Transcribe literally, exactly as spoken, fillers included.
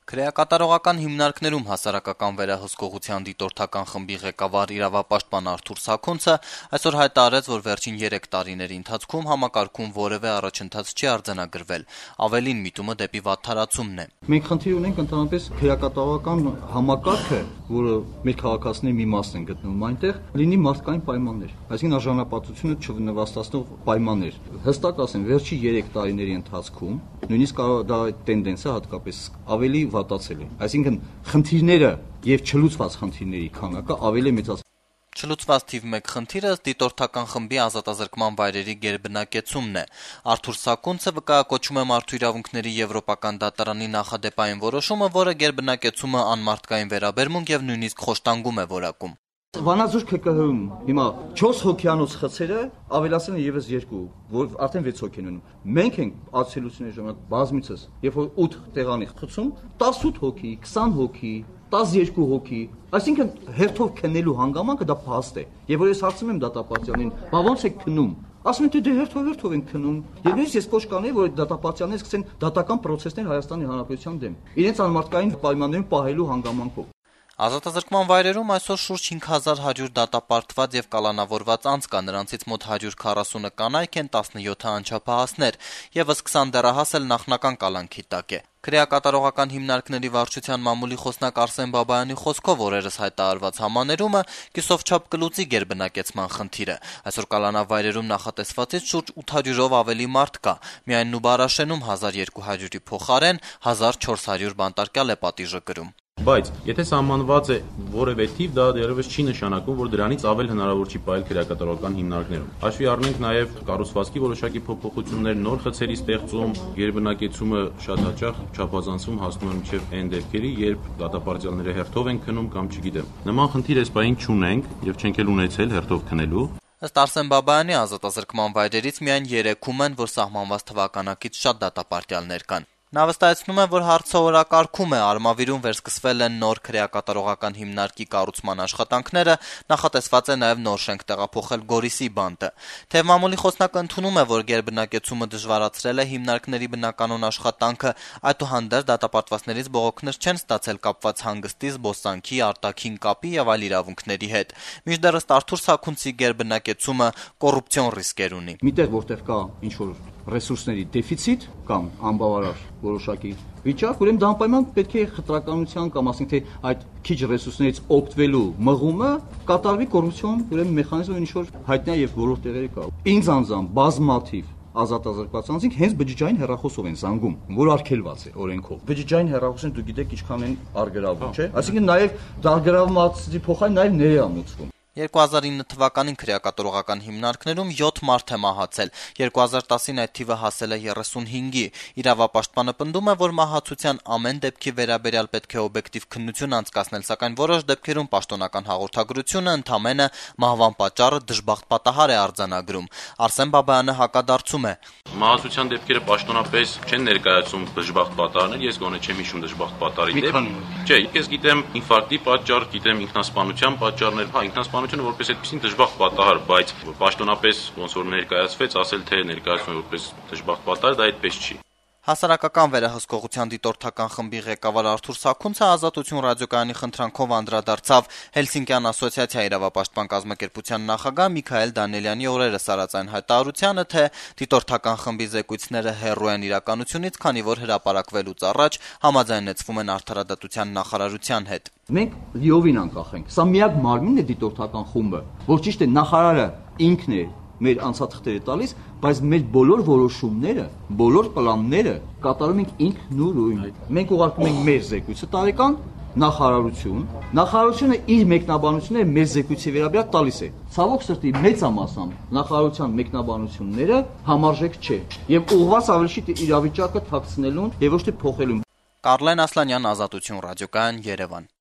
Քրեակատարողական հիմնարկներում հասարակական վերահսկողության դիտորդական խմբի ղեկավար իրավապաշտպան Արթուր Սաքունցը այսօր հայտարարեց, որ վերջին երեք տարիների ընթացքում համակարգում որևէ առաջընթաց չի արձանագրվել, ավելին միտումը դեպի վատթարացումն է։ Մենք խնդիր ունենք ընդհանրապես քրեակատարողական համակարգը, որը մեր քաղաքացիների մի մասն են գտնվում այնտեղ, լինի մարդկային պայմաններ, այսինքն արժանապատվությունը չնվաստացնող պայմաններ։ Հստակ ասեմ, վերջի երեք տարիների ընթացքում նույնիսկ դա տենդենսը հատկապես ավելի վատացել է։ Այսինքն խնդիրները եւ չլուծված խնդիրների քանակը ավելի մեծացել։ Չլուծված թիվ մեկ խնդիրը դիտորդական խմբի ազատազրկման վայրերի գերբնակեցումն է։ Արթուր Սաքունցը վկայակոչում է Մարդու իրավունքների Եվրոպական դատարանի նախադեպային որոշումը, որը գերբնակեցումը անմարդկային վերաբերմունք եւ նույնիսկ խոշտանգում է որակում։ Վանաձոր ՔԿՀ-ում հիմա չորս հոգյանոց խցերը ավելացել են եւս երկու, որ արդեն վեց հոգի են ունում։ Մենք ենք ացելությունների ժամանակ բազմիցս, երբ որ ութ տեղանի խցում, տասութ հոգի, քսան հոգի, տասներկու հոգի, այսինքն հերթով քննելու հանգամանքը դա փաստ է։ Եվ որ ես հարցնում եմ դատապարտյալին, բա ո՞նց եք քննում։ Ասում են, դե հերթով հերթով են քննում։ Եվ նույնիսկ ես կոչ կանեի, որ դատապարտյալները սկսեն դատական պրոցեսներ Հայաստանի Հանրապետության դեմ, իրենց անմարդկային պայմաններում պահելու հանգամանքով։ Ազատազրկման վայրերում այսօր շուրջ հինգ հազար հարյուր դատապարտված եւ կալանավորված անձ կա, նրանցից մոտ հարյուր քառասունը կանայք են, տասնյոթը անչափահասներ, եւս քսան դեռահաս էլ նախնական կալանքի տակ է։ Քրեակատարողական հիմնարկների վարչության մամուլի խոսնակ Արսեն Բաբայանի խոսքով օրերս հայտարարված համաներումը կիսովչափ կլուծի գերբնակեցման խնդիրը։ Այսօր կալանավայրերում նախատեսվածից շուրջ ութ հարյուրով ավելի մարդ կա, միայն Նուբարաշենում հազար երկու հարյուրի փոխարեն հազար չորս հարյուր բանտարկյալ է պատիժը կրում։ Բայց եթե սահմանված է որևէ թիվ, դա դեռևս չի նշանակում, որ դրանից ավել հնարավոր չի պահել քրեակատարողական հիմնարկներում։ Հաշվի առնենք նաև կառուցվածքի որոշակի փոփոխություններ, նոր խցերի ստեղծում, գերբնակեցումը շատ հաճախ չափազանցում հասնում է մինչև այն դեպքերի, երբ դատապարտյալները հերթով են քնում կամ չգիտեմ։ Նման խնդիր այս պահին չունենք եւ չենք էլ ունեցել հերթով քնելու։ Ըստ Արսեն Բաբայանի ազատազրկման վայրերից միայն երեքում են, որ սահմանված թվականակից շատ դատապարտյալներ կան։ Նա վստահեցնում է, որ հարցը օրակարգում է, Արմավիրում վերսկսվել են նոր քրեակատարողական հիմնարկի կառուցման աշխատանքները, նախատեսված է նաև նոր շենք տեղափոխել Գորիսի բանտը։ Թեև մամուլի խոսնակը ընդունում է, որ գերբնակեցումը դժվարացրել է հիմնարկների բնականոն աշխատանքը, այդուհանդերձ դատապարտվածներից բողոքներ չեն ստացել կապված հանգստի, զբոսանքի, արտաքին կապի եւ այլ իրավունքների հետ։ Մինչդեռ ըստ Արթուր Սաքունցի գերբնակեցումը կոռուպցիոն ռիսկեր ունի։ Միտեղ որտեղ կա ինչ-որ ռեսուրսների դեֆիցիտ կամ անբավարար որոշակի վիճակ, ուրեմն դա անպայման պետք է խտրականության կամ ասենք թե այդ քիչ ռեսուրսներից օգտվելու մղումը կատարվի կոռուպցիոն ուրեմն մեխանիզմը ինչ-որ հայտնի է եւ բոլոր տեղերի կա։ Ինձ անձամբ բազմաթիվ ազատազրկված անձինք հենց բջջային հեռախոսով են զանգում, որ արգելված է օրենքով։ Բջջային հեռախոսին դուք գիտեք ինչքան են արգելավում, չէ՞։ Այսինքն նաեւ դարգրավվածի փոխարեն նաեւ ներամուծվում։ երկու հազար ինը թվականին քրեակատարողական հիմնարկներում յոթ մարդ է մահացել, երկու հազար տասին այդ թիվը հասել է երեսունհինգի։ Իրավապաշտպանը պնդում է, որ մահացության ամեն դեպքի վերաբերյալ պետք է օբյեկտիվ քննություն անցկացնել, սակայն որոշ դեպքերում պաշտոնական հաղորդագրությունը ընդամենը մահվան պատճառը դժբախտ պատահար է արձանագրում։ Արսեն Բաբայանը հակադարձում է. Մահացության դեպքերը պաշտոնապես չեն ներկայացում դժբախտ պատահարներ, ես գոնե չեմ հիշում դժբախտ պատահարի դեպք։ Չէ, ես գիտեմ ինֆարկտի պատճառ, գիտեմ ինքնասպանության պատճառներ, հա, ինքնասպանությունը որպես այդպեսին դժբախտ պատահար, բայց պաշտոնապես ոնց որ ներկայացվեց, ասել թե ներկայացվում է որպես դժբախտ պատահար, դա այդպես չի։ Հասարակական վերահսկողության դիտորդական խմբի ղեկավար Արթուր Սաքունցը Ազատություն ռադիոկայանի խնդրանքով անդրադարձավ Հելսինկյան ասոցիացիա իրավապաշտպան կազմակերպության նախագահ Միքայել Դանիելյանի օրերս արած այն հայտարարությանը, թե դիտորդական խմբի զեկույցները հեռու են իրականությունից, քանի որ հրապարակվելուց առաջ համաձայնեցվում են արդարադատության նախարարության հետ։ Մենք լիովին անկախ ենք։ Սա միակ մարմինն է դիտորդական խումբը, որ ճիշտ է նախարարը ինքն է մեր անցաթղթերը տալիս, բայց մեր բոլոր որոշումները, բոլոր պլանները կատարում ենք ինքնուրույն։ Մենք ուղարկում ենք մեր զեկույցը տարեկան նախարարություն, նախարարությունը իր մեկնաբանությունները մեր զեկույցի վերաբերյալ տալիս է։ Ցավոք սրտի մեծամասամբ նախարարության մեկնաբանությունները համարժեք չէ եւ ուղղված ավելի շուտ իրավիճակը թաքցնելուն եւ ոչ թե փոխելուն։ Կարլեն Ասլանյան, Ազատություն ռադիոկայան, Երևան։